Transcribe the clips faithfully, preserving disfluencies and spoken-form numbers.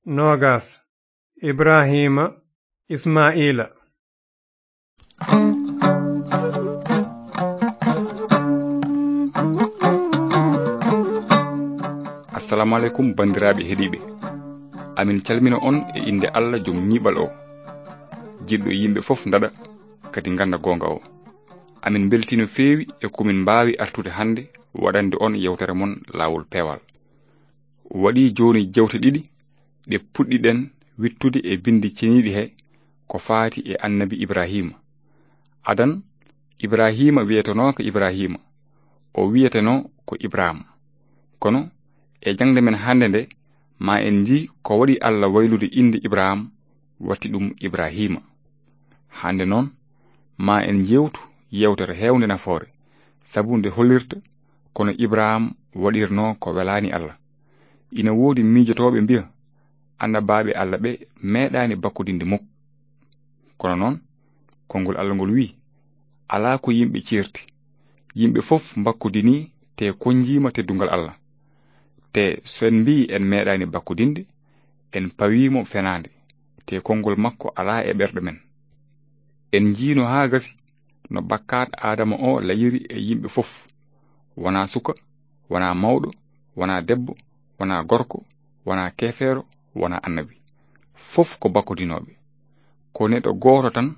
noogas. Ibraahiima, Ismaa'iila. Assalamu aleykum, banndiraaɓe heɗiiɓe. Amin calmina on e innde Allah, jom ñiiɓal o, jiɗɗo yimɓe fof ndaɗa, kadi ngannda goonga o. Amin mbeltii no feewi e ko min mbaawi artude hannde waɗande on yewtere mon Laawol Peewal. Waɗii jooni jewte ɗiɗi ɗe puɗɗiɗen wittude e binndi ceniiɗi he ko faati e Annabi Ibraahiima. Adan, Ibraahiima wiyetenooka Ibraahiima, o wiyetenoo ko Ibraam. Kono e jaŋde men hannde nde, ma en njii ko waɗi Allah waylude innde Ibraam, watti ɗum Ibraahiima. Hannde noon, ma en njeewtu yeewtere heewnde nafoore, sabu nde hollirta kono Ibraam waɗirnoo ko welaani Allah. Ina woodi miijotooɓe mbiya, annabaaɓe Allah ɓe meeɗaani bakkodinde muk. Kono noon, konngol Allah ngol wiyi, alaa ko yimɓe ceerti. Yimɓe fof mbakkodinii, te konnjiima teddungal Allah. Te so en mbiyi en meeɗaani bakkodinde, en pawii mo fenaande, te konngol makko alaa e ɓerɗe men. En njiino haa gasi no bakkaat Aadama o layiri e yimɓe fof, wonaa suka, wonaa mawɗo, wonaa debbo, wonaa gorko, wonaa keefeero, wonaa annabi. Fof ko bakkodinooɓe. Ko neɗɗo gooto tan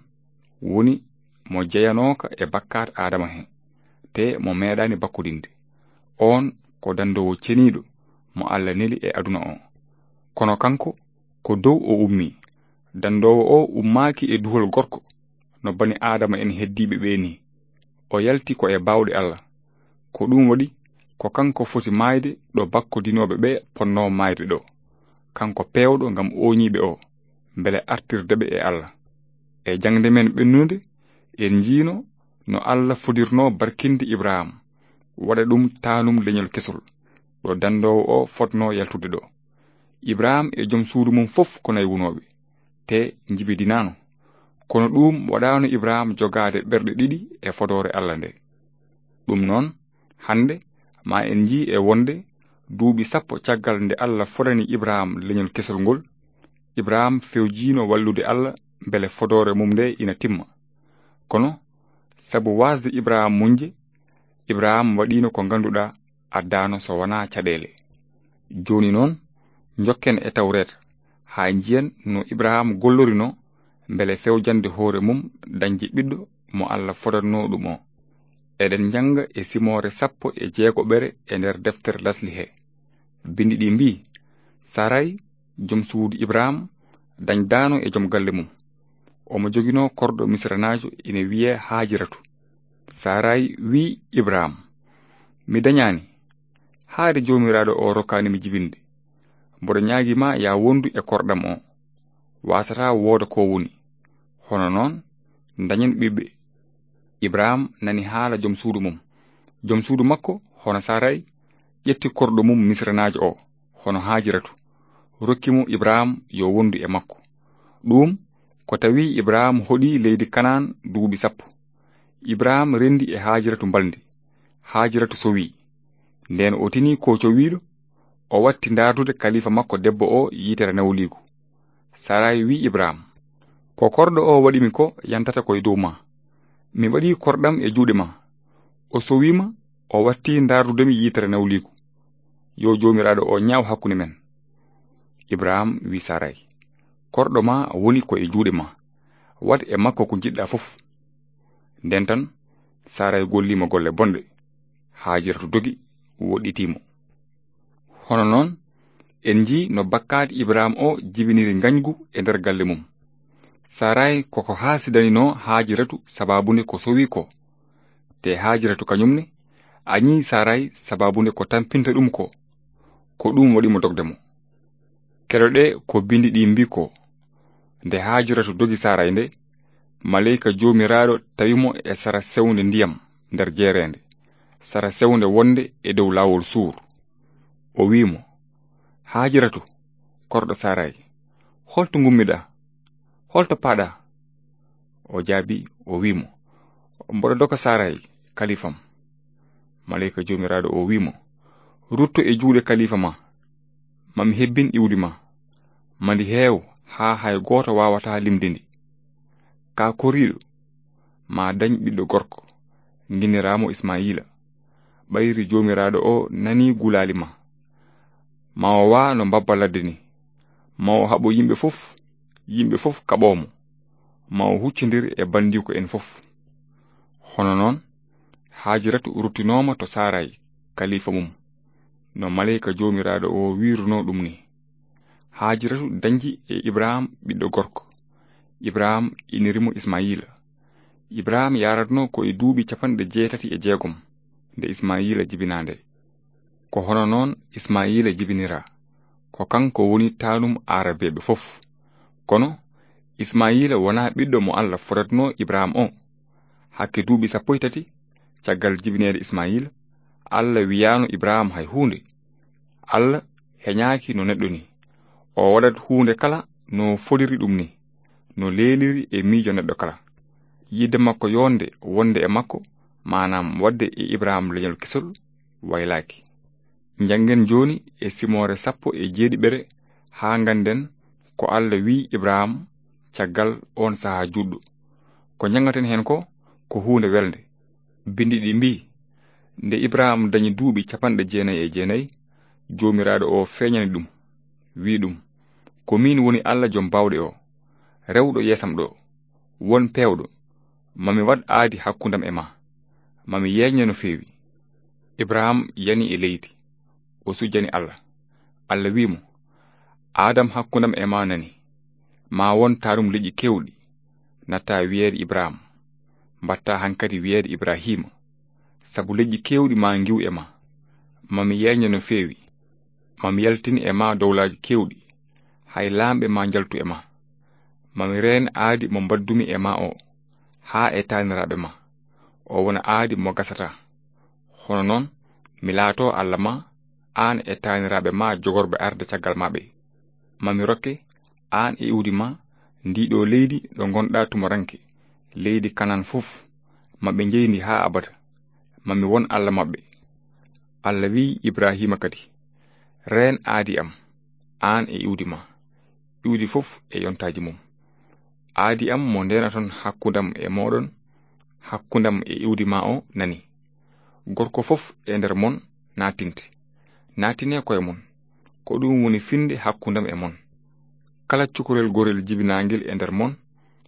woni mo jeyanooka e bakkaat Aadama he, te mo meeɗaani bakkodinde. Oon ko danndoowo ceniiɗo mo Allah neli e aduna o. Kono kanko, ko dow o ummii. Danndoowo o ummaaki e duhol gorko, no bani Aadama en heddiiɓe ɓe nii. O yalti ko e baawɗe Allah. Ko ɗum waɗi, ko kanko foti maayde ɗo bakkodinooɓe ɓe potnoo maayde ɗo. Kanko peewɗo ngam ooñiiɓe o, mbele artirde ɓe e Allah. E jaŋde men ɓennunde, en njiino no Allah fodirnoo barkinde Ibrahim, waɗa ɗum taanum leñol kesol, ɗo danndoowo o fotnoo yaltude ɗo. Ibrahim e jom suudu mum fof ko naywunooɓe, te njibidinaano. Kono ɗum waɗaano Ibrahim jogaade ɓerɗe ɗiɗi e fodoore Allah nde. Ɗum noon, hannde ma en njii e wonde duuɓi sappo caggal nde Allah fodani Ibrahim leñol kesol ngol, Ibrahim fewjiino wallude Allah mbele fodoore mum nde ina timma. Kono sabu waasde Ibrahim muñde, Ibrahim waɗiino ko ngannduɗaa addaano so wonaa caɗeele. Jooni noon, njokken e Tawreeta, haa njiyen no Ibrahim gollorinoo mbele fewjande hoore mum dañde ɓiɗɗo mo Allah fodatnoo ɗum o. Eɗen njannga e simoore sappo e jeegoɓere e nder deftere Lasli he. Binndi ɗi mbii, Saray, jom suudu Ibrahim, dañdaano e jom galle mum. Omo joginoo korɗo Misranaajo ina wiyee Haajiratu. Saray wii Ibrahim, mi dañaani, haade Joomiraaɗo o rokkaani mi jibinde. Mboɗo ñaagii ma ya wondu e korɗam o. Waasataa wooda ko woni. Hono noon, dañen ɓiɓɓe. Ibrahim nani haala jom suudu mum. Jom suudu makko, hono Saray, ƴetti korɗo mum Misranaajo o, hono Haajiratu, rokki mo Ibrahim yo wondu e makko. Ɗum ko tawi Ibrahim hoɗi leydi Kanaan duuɓi sappo. Ibrahim renndi e Haajiratu mbalndi. Haajiratu sowi. Ndeen o tini ko cowiiɗo, o watti ndaardude kalifa makko debbo o yitere nawliigu. Saray wii Ibrahim, ko korɗo o waɗi mi ko yantata ko e dow ma. Mi waɗi korɗam e juuɗe ma. O sowi ma, o watti ndaardude mi yitere nawliigu. Yo Joomiraaɗo o ñaaw hakkunde men. Ibrahim wii Saray, korɗo ma woni ko e juuɗe ma. Waɗ e makko ko njiɗɗa fof. Ndeen tan, Saray golli mo golle bonɗe. Haajiratu dogi, woɗɗitii mo. Hono noon, en njii no bakkaat Ibrahim o jibiniri ngañgu e nder galle mum. Saray koko haasidaninoo Haajiratu sabaabu nde ko sowi ko. Te Haajiratu kañum ne, añii Saray sabaabu nde ko tampinta ɗum ko. Ko ɗum waɗi mo dogde mo. Keɗoɗee ko binndi ɗi mbii ko, nde Haajiratu dogi Saray nde, maleyka Joomiraaɗo tawi mo e sara sewnde ndiyam nder jeereende, sara sewnde wonde e dow laawol Suur. O wii mo, Haajiratu, korɗo Saray, holto ngummiɗaa? Holto paaɗaa? O jaabii, o wii mo, mboɗo doga Saray, kalifam. Maleyka Joomiraaɗo o wii mo, rutto e juuɗe kalifa ma, ma mi hebbin iwdi ma. Ma ndi heew haa hay gooto waawataa limde ndi. Kaa koriiɗo, ma dañ ɓiɗɗo gorko, nginniraamo Ismayiila. Ɓayri Joomiraaɗo o nanii gulaali ma. Ma o waa no mbabba ladde ni. Ma o haɓo yimɓe fof, yimɓe fof kaɓoo mo. Ma o huccondir e banndiiko en fof. Hono noon, Haajiratu ruttinooma to Saaray, kaliifa mum, no maleyka Joomiraaɗo o wiirunoo ɗum ni. Haajiratu dañji e Ibrahim ɓiɗɗo gorko. Ibrahim iniri mo Ismayiila. Ibrahim yaratnoo ko e duuɓi capanɗe jeetati e jeegom nde Ismayiila jibinaa nde. Ko hono noon Ismayiila jibiniraa. Ko kanko woni taanum Aarabeeɓe fof. Kono Ismayiila wonaa ɓiɗɗo mo Alla fodatnoo Ibrahim o. Hakke duuɓi sappo e tati caggal jibineede Ismayiila, Alla wiyaano Ibrahim hay huunde. Alla heñaaki no neɗɗo ni. O waɗat huunde kala no fodiri ɗum ni, no leeliri e miijo neɗɗo kala. Yiɗde makko yonde wonde e makko, maanaam waɗde e Ibrahim leñol kesol, waylaaki. Njanngen jooni e simoore sappo e jeeɗiɓere haa ngannden ko Alla wiyi Ibrahim caggal oon sahaa juutɗo. Ko njanngaten heen ko, ko huunde welnde. Binndi ɗi mbiyi, nde Ibrahim dañi duuɓi capanɗe jeenayi e jeenayi, Joomiraaɗo o feeñani ɗum, wiyi ɗum, ko miin woni Alla Joom Baawɗe o, rewɗo yeesam ɗo, won peewɗo, ma mi waɗ aadi hakkundam e ma, ma mi yeeñne no feewi. Ibrahim yani e leydi, o sujjani Alla. Alla wiyi mo, aadam hakkundam e ma nani, ma won taanum leƴƴi keewɗi, natta wiyeede Ibrahim, mbatta hankadi wiyeede Ibrahima, sabu leƴƴi keewɗi ma ngiw e ma, ma mi yeeñne no feewi, ma mi yaltin e ma dowlaaji keewɗi, hay laamɓe ma njaltu e ma. Ma mi reen aadi mo mbaddumi e ma o, haa e taaniraaɓe ma, o wona aadi mo gasataa. Hono noon, mi laatoo Alla ma, aan e taaniraaɓe ma jogorɓe arde caggal ma ɓe. Ma mi rokke, aan e iwdi ma, ndii ɗo leydi ɗo ngonɗa tumoranke, leydi Kanan fof, ma ɓe njeyndi haa abada. Ma mi won Alla maɓɓe. Alla wiyi Ibrahima kadi, reen aadi am, aan e iwdi ma. Iwdi fof e yontaaji mum. Aadi am mo ndeenaton hakkundam e mooɗon, hakkundam e iwdi ma o nani. Gorko fof e nder mon naatinte. Naatine koye mon. Ko ɗum woni finnde hakkundam e mon. Kala cukalel gorel jibinaangel e nder mon,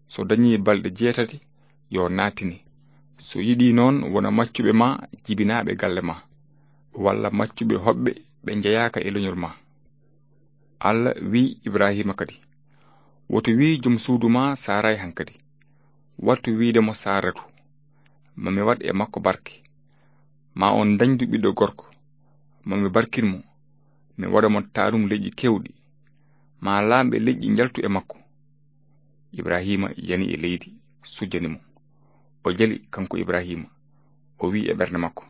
so dañii balɗe jeetati, yo naatine. So yiɗii noon wona maccuɓe ma jibinaaɓe galle ma, walla maccuɓe hoɓɓe ɓe njeyaaka e leñol ma. Alla wiyi Ibrahima kadi, woto wiy jom suudu ma Saaray hankadi. Wattu wiyde mo Saaratu, ma mi waɗ e makko barke. Ma on dañdu ɓiɗɗo gorko, ma mi barkin mo, mi waɗa mo taanum leƴƴi keewɗi. Ma laamɓe leƴƴi njaltu e makko. Ibrahima yani e leydi, sujjani mo. O jali, kanko Ibrahima. O wiyi e ɓernde makko,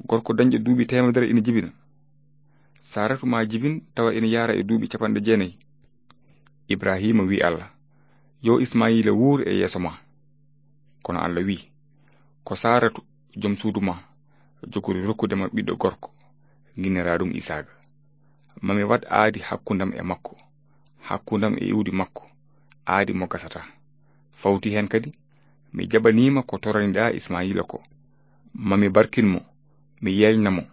gorko dañɗo duuɓi teemedere ina jibina. Saaratu ma jibin tawa ina yaara e duuɓi capanɗe jeenayi. Ibrahima wiyi Alla, yo Ismayiila wuur e yeeso ma. Kono Alla wiyi, ko Saaratu, jom suudu ma, jogori rokkude ma ɓiɗɗo gorko, nginnira ɗum Isaaga. Ma mi waɗ aadi hakkundam e makko, hakkundam e iwdi makko, aadi mo gasataa. Fawti heen kadi, mi jaɓaniima ko toraniɗaa Ismayiila ko. Ma mi barkin mo, mi yeeñna mo.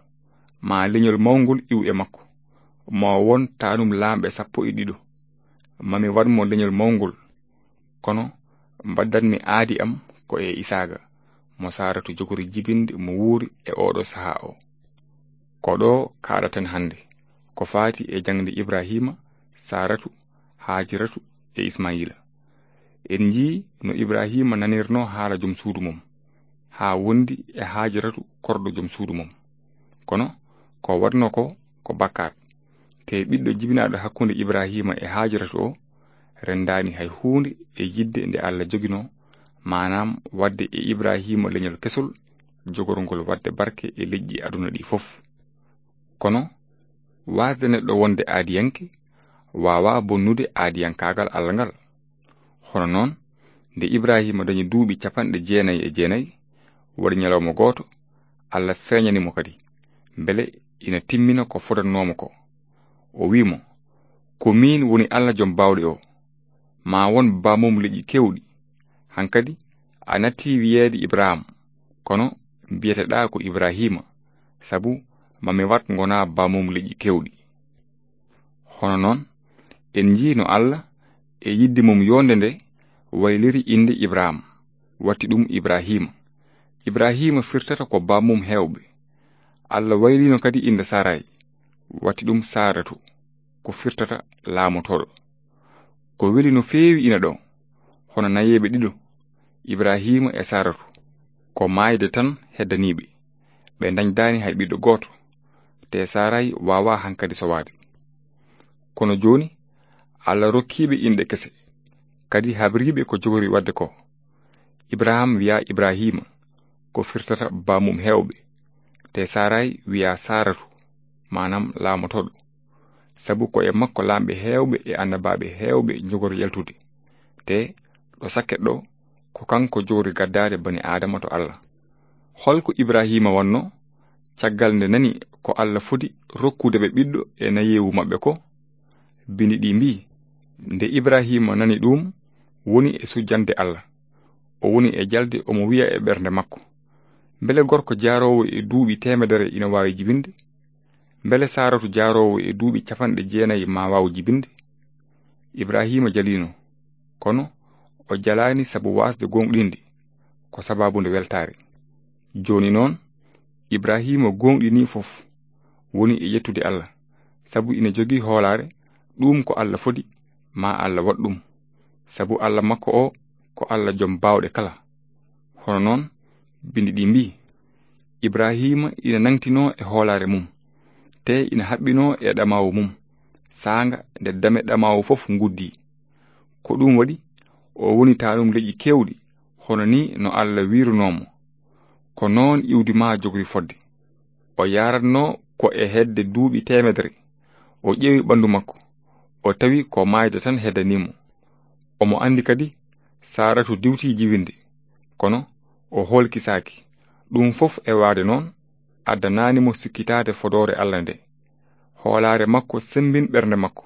Ma leñol mawngol iw e makko. Ma o won taanum laamɓe sappo e ɗiɗo. Ma mi waɗ mo leñol mawngol. Kono mbaɗdanmi aadi am ko e Isaaga, mo Saaratu jogori jibinde mo wuuri e ooɗo sahaa o. Ko ɗo kaaɗaten hannde, ko faati e jaŋde Ibrahima, Saaratu, Haajiratu e Ismayiila. En njii no Ibrahima nanirnoo haala jom suudu mum, haa wondi e Haajiratu korɗo jom suudu mum. Kono ko waɗnoo ko, ko bakkaat. Te ɓiɗɗo jibinaaɗo hakkunde Ibrahima e Haajiratu o, renndaani hay huunde e yiɗde nde Alla joginoo, maanaam waɗde e Ibrahima leñol kesol, jogorngol waɗde barke e leƴƴi aduna ɗi fof. Kono, waasde neɗɗo wonde aadiyanke, waawaa bonnude aadiyankaagal Alla ngal. Hono noon, nde Ibrahima dañi duuɓi capanɗe jeenayi e jeenayi, waɗi ñalawma gooto, Alla feeñani mo kadi, mbele ina timmina ko fodatnoo mo ko. O wiyi mo, Ko miin woni Alla Jom Baawɗe o. Ma won bammum leƴƴi keewɗi. Hankadi a natti wiyeede Ibrahim, kono mbiyeteɗaa ko Ibrahima, sabu ma mi wat ngonaa bammum leƴƴi keewɗi. Hono noon, en njii no Alla e yidde mum yonde nde wayliri innde Ibrahim, watti ɗum Ibrahima. Ibrahima firtata ko bammum heewɓe. Alla waylino kadi innde Saray, watti ɗum Saratu, ko firtata laamotooɗo. Ko weli no feewi ina ɗo, hono nayeeɓe ɗiɗo, Ibrahima e Saratu, ko maayde tan heddaniiɓe. Ɓe ndañdaani hay ɓiɗɗo gooto, te Saray waawaa hankadi sowaade. Kono jooni, Alla rokkiiɓe inɗe kese, kadi habriiɓe ko jogori waɗde ko. Ibrahim wiya Ibrahima, ko firtata bammum heewɓe, te Saray wiya Saratu, maanaam laamotooɗo. Sabu ko e makko laamɓe heewɓe e annabaaɓe heewɓe njogori yaltude. Te ɗo sakket ɗo, ko kanko jogori gaddaade bani Aadama to Alla. Hol ko Ibrahima wanno, caggal nde nani ko Alla fodi rokkude ɓe ɓiɗɗo e nayeewu maɓɓe ko? Bindi ɗi mbii, nde Ibrahima nani ɗum, woni e sujjande Alla. O woni e jalde, omo wiya e ɓernde makko, mbele gorko jaaroowo e duuɓi teemedere ina waawi jibinde? Mbele Saaratu jaaroowo e duuɓi capanɗe jeenayi ma waaw jibinde? Ibrahima jaliino, kono o jalaani sabu waasde gooŋɗinde, ko sabaabu nde weltaare. Jooni noon, Ibrahima gooŋɗinii fof, woni e yettude Alla, sabu ina jogii hoolaare, ɗum ko Alla fodi, ma Alla waɗ ɗum, sabu Alla makko o ko Alla Jom Baawɗe kala. Hono noon, bindi ɗi mbii, Ibrahima ina nangtinoo e hoolaare mum, te ina haɓɓinoo e ɗamaawu mum, saanga nde dame ɗamaawu fof nguddii. Ko ɗum waɗi, o woni taanum leƴƴi keewɗi, hono ni no Alla wiirunoo mo. Ko noon iwdi ma jogori fodde. O yaratnoo ko e hedde duuɓi teemedere. O ƴeewi ɓanndu makko. O tawi ko maayde tan heddanii mo. Omo anndi kadi Saaratu diwtii jibinde. Kono o hoolkisaaki. Ɗum fof e waade noon, addanaani mo sikkitaade fodoore Alla nde. Hoolaare makko semmbin ɓernde makko.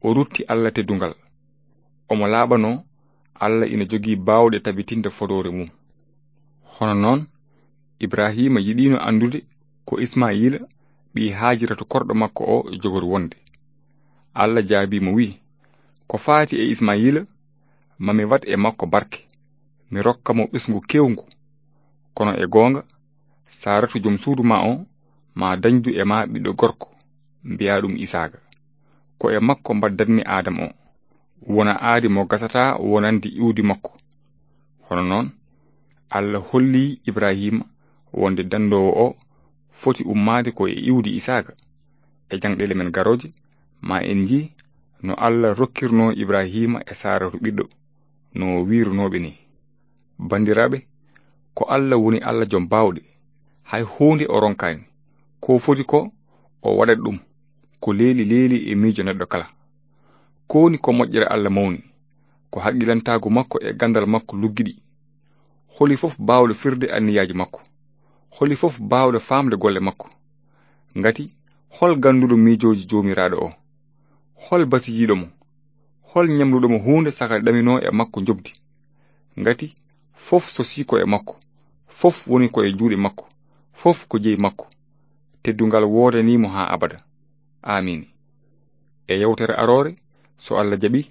O rutti Alla teddungal. Omo laaɓanoo Alla ina jogii baawɗe tabitinde fodoore mum. Hono noon, Ibrahima yiɗiino anndude ko Ismaayila, ɓii Haajiratu korɗo makko o, jogori wonde. Alla jaabii mo, wi'i, ko faati e Ismaayila, ma mi waɗ e makko barke, mi rokka mo ɓesngu keewngu. Kono e goonga, Saaratu jom suudu ma o, ma dañdu e ma ɓiɗɗo gorko, mbiyaa ɗum Isaaqa. Ko e makko mbaɗdatmi Aadam o, wona aadi mo gasataa wonande iwdi makko. Hono noon, Alla holli Ibrahima wonde danndoowo o foti ummaade ko e iwdi Isaaqa. E jaŋɗeele men garooje, ma en njii no Alla rokkirnoo Ibrahima e Saaratu ɓiɗɗo, no o wiirunooɓe ni. Banndiraaɓe, ko Alla woni Alla Jom Baawɗe, hay huunde o ronkaani. Ko foti ko, o waɗat ɗum, ko leeli leeli e miijo neɗɗo kala. Ko woni ko moƴƴere Alla mawni, ko haqqilantaagu makko e ganndal makko luggiɗi. Holi fof baawɗo firde anniyaaji makko? Holi fof baawɗo faamde golle makko? Ngati, hol gannduɗo miijooji Joomiraaɗo o? Hol basiyiiɗo mo? Hol ñamluɗo mo huunde saka ɗaminoo e makko njoɓdi? Ngati, fof sosii ko e makko, fof woni ko e juuɗe makko, fof ko jeyi makko. Teddungal woodanii mo haa abada. Aamiin. E yewtere aroore, so Alla jaɓi,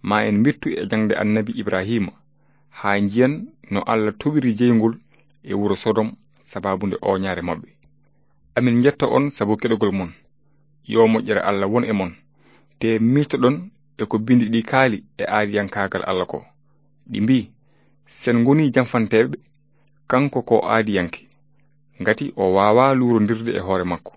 ma en mbittu e jaŋde Annabi Ibrahima, haa njiyan no Alla toɓiri jeyngol e wuro Sodom sabaabu nde ooñaare maɓɓe. Amin njetta on sabu keɗogol mon. Yo moƴƴere Alla won e mon. Te miijtoɗon e ko bindi ɗi kaali e aadiyankaagal Alla ko. Ɗi mbii, sen ngoni janfanteeɓe, kanko ko aadiyanke, ngati o waawaa luurondirde e hoore makko.